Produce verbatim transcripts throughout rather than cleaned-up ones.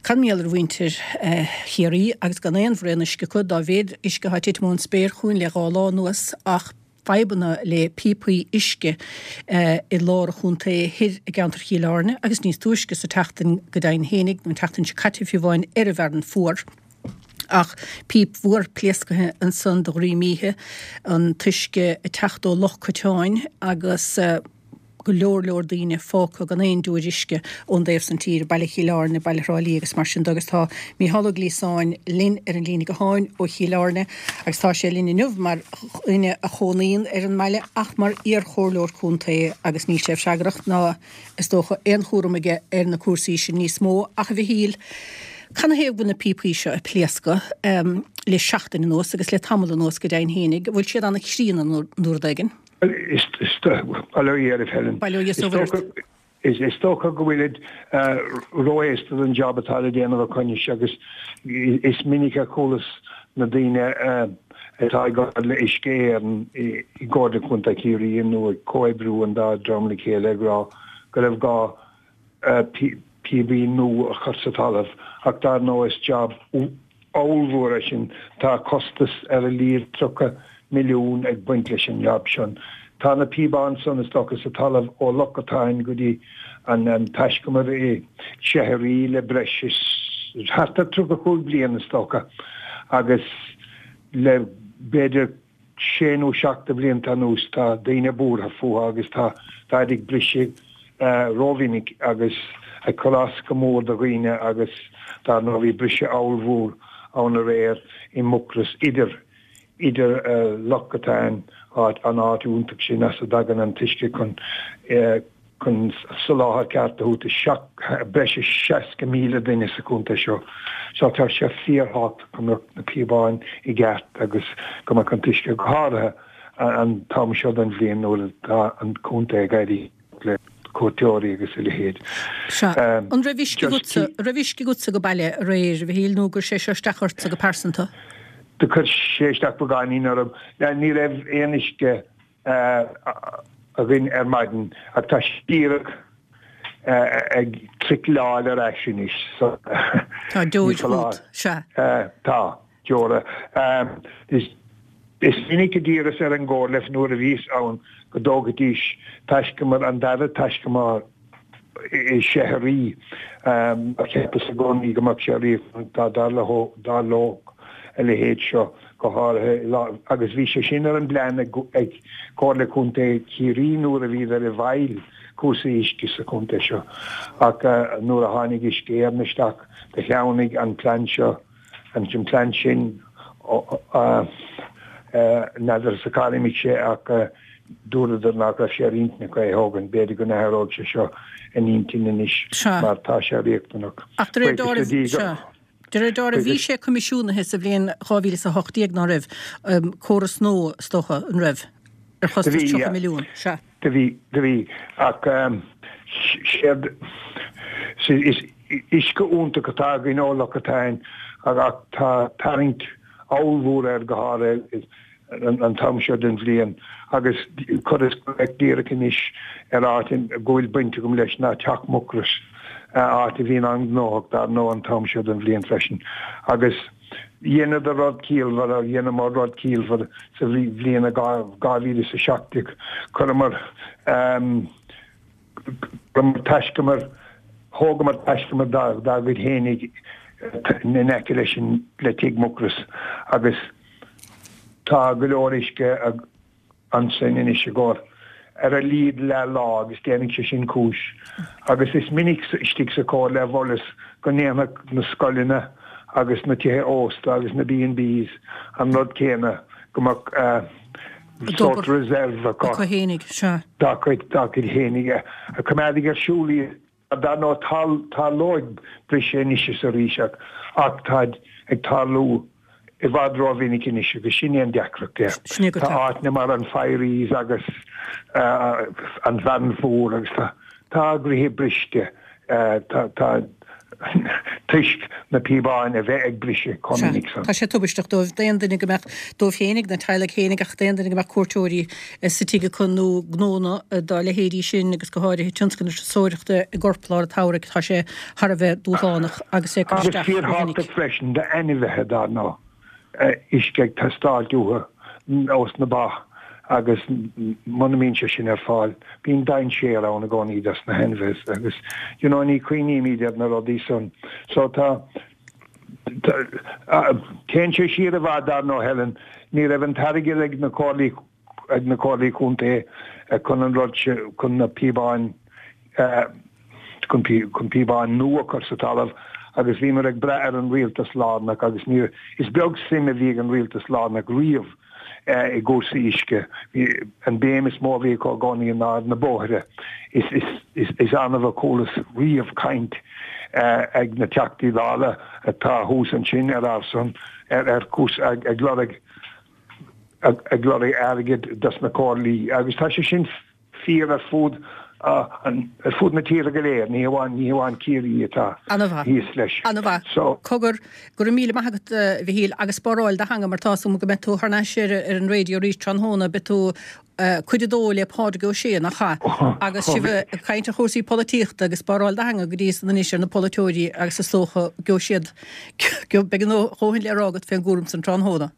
Cad mar gheall ar mhuintir Chiarraí agus gan aon bhraon uisce acu dá mhéad uisce atá titim ón spéir chugainn le dhá lá anuas ach fadhbanna le píopaí uisce i lár an chontae thoir i gceantar Chill Airne agus níos túisce sa tseachtain go deimhin fhéinig, nó an tseachtain seo caite fiú amháin, ar an bhFearann Fuar. Ach píp mhór pléasctha ansan de dhroim oíche, an t-uisce ag teacht ó Loch Coiteáin agus go leor leor daoine fágtha gan aon deoir uisce ón dtaobh san tíre, Baile Chill Airne, Baile Thrá Lí agus mar sin de. Agus tá Mícheál Ó Gliasáin linn ar an líne gutháin ó Chill Airne agus tá sé linn inniu mar dhuine a chónaíonn ar an mbaile ach mar iar-chomhairleoir contae agus níl sé freagrach ná is dócha aon chúram aige ar na cúrsaí sin níos mó. Ach a Mhichíl, Canathaobh go bhfuil na píopaí seo ag pléascadh le seachtain anuas agus le tamall anuas go deimhin fhéinig? An bhfuil siad an-chríonna nó rud éigin? Bail ó Dhia oraibh, Helen. Bail ó Dhia is ó Mhuire ort. Is dócha go bhfuilid ró-aosta don jab atá le déanamh acu anois agus is minic a chualas na daoine atá ag obair le Uisce Éireann i gComhairle Contae Chiarraí nó ag comhoibriú an dá dream le chéile ag rá go raibh gá píopaí nua a chur sa talamh ach dar ndóigh is jab ollmhór é sin, tá costas ar a laghad tríocha milliún ag baint leis an jab sin. Tá na píobáin san is dócha sa talamh ó Loch Cotáin go dtí an taiscumar i Seichearaí le breis is thart ar tríocha cúig bliain is dócha agus le b'fhéidir sé nó seacht de bhlianta anuas tá daoine buartha fúthu agus tá táid ag briseadh rómhinic agus ag cur as go mór do dhaoine agus dar ndóigh bhí briseadh ollmhór ann aréir i Mucros idir idir Loch Cotáin, áit an áit iontach sin as a dtagann an t-uisce chun chun soláthar ceart a thabhairt do seacht breis is seasca míle duine sa chontae seo. So tá sé fíorthábhachtach go mbeadh na píobáin i gceart agus go mbeadh an t-uisce go háirithe an t-am seo den bhliain nuair atá an contae ag éirí le cuairteoirí agus a leithéid. Sea. An raibh uisce agatsa, an raibh uisce agatsa ag baile aréir, a Mhichíl, nó gur sé seo isteach ortsa go pearsanta? Do chuir sé isteach beagáinín orm. Ní raibh aon uisce againn ar maidin ach tá sé díreach ag tricleáil ar ais anois so Tá deoir fút, sea. Tá, deora. Is minic a d'iarras ar an gComhairle nuair a bhíos ann go dtógfaidís taiscumar, an dara taiscumar i Seichearaí. Cheapas i gcónaí go mbeadh sé riachtanach dá dtarlódh a leithéid seo, go háirithe agus bhí sé sin ar an bplean ag Comhairle Contae Chiarraí nuair a bhíodar i bhfeighil cúrsaí uisce sa chontae seo. Ach nuair a tháinig Uisce Éireann isteach do shleamhnaigh an plean seo, an plean sin, n'fheadarsa cár imigh sé ach dúradar nach raibh sé ar intinn acu é a thógaint. B'fhéidir go n-athróidh sé seo a n-intinn anois mar tá sé riachtanach. Ach de réir dealraimh, sea. De réir dealraimh bhí sé coimisiúnaithe sa bhliain dhá mhíle is a hocht déag, ná raibh? Córas nua, is dócha, an raibh? Ar chostas tríocha milliún. Sea. Do bhí, do bhí. Ach séard, is uisce iontach atá againn ó Loch Cotáin ach tá tarraingt ollmhór air go háirithe an t-am seo den bhliain agus chuireas glaoch díreach anois ar áit go bhfuil baint agam leis ná Teach Mhucrois, áit a bhíonn an-ghnóthach dar ndóigh an t-am seo den bhliain freisin agus dheineadar rud ciallmhar, dheineamar rud ciallmhar sa bhliain dhá mhíle is a seacht déag, chuireamar. Chuireamar taiscumar, thógamar taiscumar dár gcuid fhéinig in aice leis an, le Tigh Mhucrois agus tá go leor uisce ansin anois i gcomhair ar a laghad leath lá agus déanfaidh sé sin cúis. Agus is minic istigh sa Chomhairle a mholas go ndéanfadh na scoileanna agus na tithe ósta agus na B and Bs an rud céanna, go mbeadh sórt reserve acu. Acu fhéinig, sea. Dá gcuid, dá gcuid fhéinig a choimeádfaidh ar siúl iad. Dar ndóigh, tarlóidh briseadh anois is arís ach, ach táid ag tarlú i bhfad rómhinic anois agus sin é an deacracht. Sin é go Tá áiteanna mar an Firies agus an Fearann Fuar agus tá, tá gcroíthe briste, tá, tá, toisc na píobáin a bheith ag briseadh chomh minic san. Tá sé tubaisteach dóibh, d'aon duine go mbeadh, dóibh féinig, na teaghlaigh féinig, ach d'aon duine go mbeadh cuairteoirí sa tigh acu nó gnónna dá leithéidí sin agus go háirithe tionscal na turasóireachta i gcorplár an tsamhraidh, tá sé thar a bheith dúshlánach agus é ag cur Agus isteach fíor go minic. thábhachtach freisin d'ainmhithe dar ndóigh, uisce ag teastáilt uathu ós na ba agus muna mbíonn sé sin ar fáil, bíonn dainséar ann i gcónaí dos na hainmhithe agus you know ní chuimhnímid ar na rudaí san. So tá téann sé siar i bhfad dar ndóigh Helen, ní raibh an t-airgead ag na comhairlí ag na comhairlí contae chun an rud chun na píobáin chun chun píobáin nua a chur sa talamh agus bhíomar ag brath ar an rialtas lárnach agus ní is beag suim a bhí ag an rialtas lárnach riamh i gcúrsaí uisce. An béim is mó a bhí acu i gcónaí ná na bóithre. Is is is is annamh a chualas riamh caint ag na Teachtaí Dála atá thuas ansin ar ár son ar ar cúis ag ag lorg ag lorg airgead dos na comhairlí agus tá sé sin fíor ar fud ar fud na tíre go léir, ní hamháin ní hamháin Ciarraí atá thíos leis. An-mhaith. So cogar go raibh míle maith agat a Mhichíl agus spáráil do theanga mar tá a fhios agam go mbeidh tú thar n-ais ar ar an raidió arís tráthnóna, beidh tú cuid a dó le Pádraig Ó Sé, nach ea? Agus sibh ag caint ar chúrsaí polaitíochta agus spáráil do theanga go dtí san anois ar na polaiteoirí agus is dócha go siad beidh a ndóthain le rá agat fén gcúram san tráthnóna.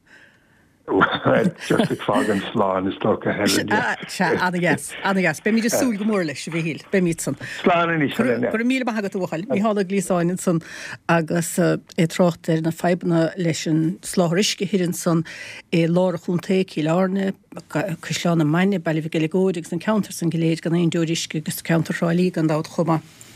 Just ag fágaint slán is dócha Helen. Sea, ana-dheas, ana-dheas. Beimid ag súil go mór leis, a Mhichíl, beimid san. Slán anois, Helen. Go raibh míle maith agat a bhuachaill. Micheál Ó Gliasáin ansan agus é ag trácht ar na fadhbanna leis an soláthar uisce thoir ansan i lár an chontae, Cill Airne, Caisleán na Mainge, Baile Mhic Eileagóid agus an ceantar san go léir gan aon deoir uisce agus ceantar Thrá Lí gan dabht chomh maith.